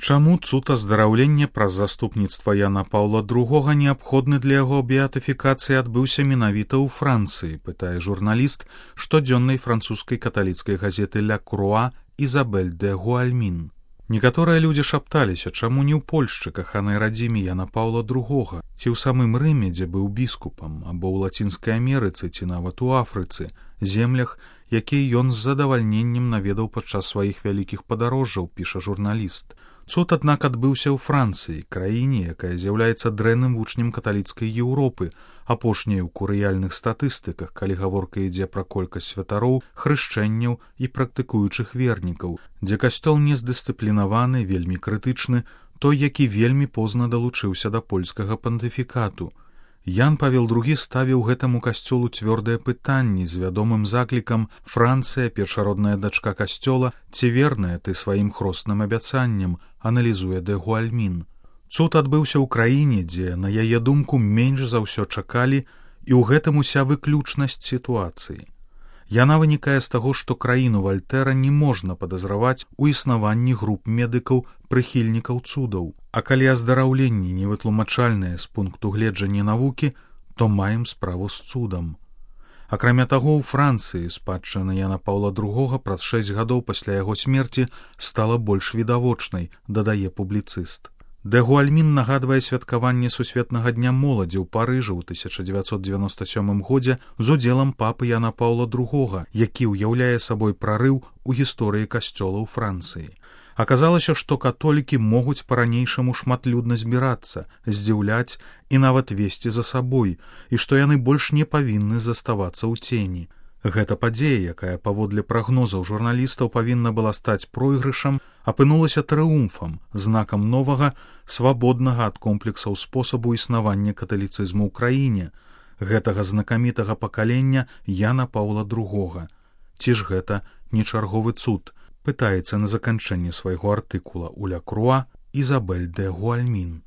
Чаму цуд аздараўлення праз заступніцтва Яна Паўла II неабходны для яго беатыфікацыі адбыўся менавіта ў Францыі, пытае журналіст штодзённай французскай каталіцкай газеты «Ля Круа» Ізабель де Гуальмін. Некаторыя людзі шапталіся, чаму не ў Польшчы, каханай радзіме Яна Паўла II, ці ў самым Рыме, дзе быў біскупам, або ў Лацінскай Амерыцы, ці нават у Афрыцы, землях, якія ён з задавальненнем наведаў падчас сваіх вялікіх падарожжаў, піша журналіст. Цуд, аднак, адбыўся ў Францыі, краіне, якая з'яўляецца дрэнным вучнем каталіцкай Еўропы, апошняй у курыяльных статыстыках, калі гаворка ідзе пра колькасць святароў, хрышчэнняў і практыкуючых вернікаў, дзе касцёл нездысцыплінаваны, вельмі крытычны, той, які вельмі позна далучыўся да польскага пантыфікату. Ян Павел II ставіў гэтаму касцёлу цвёрдыя пытанні з вядомым заклікам «Францыя, першародная дачка касцёла, ці верная ты сваім хросным абяцанням», аналізуе де Гуальмін. Цуд адбыўся ў краіне, дзе, на яе думку, менш за ўсё чакалі, і ў гэтым уся выключнасць сітуацыі. Яна вынікае з таго, што краіну Вальтэра не можна падазраваць у існаванні груп медыкаў, прыхільнікаў цудаў. А калі аздараўленні невытлумачальныя з пункту гледжання навукі, то маем справу з цудам. Акрамя таго, у Францыі спадчына Яна Паўла II праз 6 гадоў пасля яго смерці стала больш відавочнай, дадае публіцыст. Де Гуальмін нагадвае святкаванне Сусветнага дня моладзі ў Парыжы ў 1997 годзе з удзелам папы Яна Паўла II, які ўяўляе сабой прарыў у гісторыі касцёла ў Францыі. Аказалася, што католікі могуць па-ранейшаму шматлюдна збірацца, здзіўляць і нават весці за сабой, і што яны больш не павінны заставацца ў цені. Гэта падзея, якая паводле прагнозаў журналістаў павінна была стаць пройгрышам, апынулася трыумфам, знакам новага, свабоднага ад комплексаў спосабу існавання каталіцызму ў краіне, гэтага знакамітага пакалення Яна Паўла II. Ці ж гэта не чарговы цуд, пытаецца на заканчэнне свайго артыкула ў Ля Круа Ізабель де Гуальмін.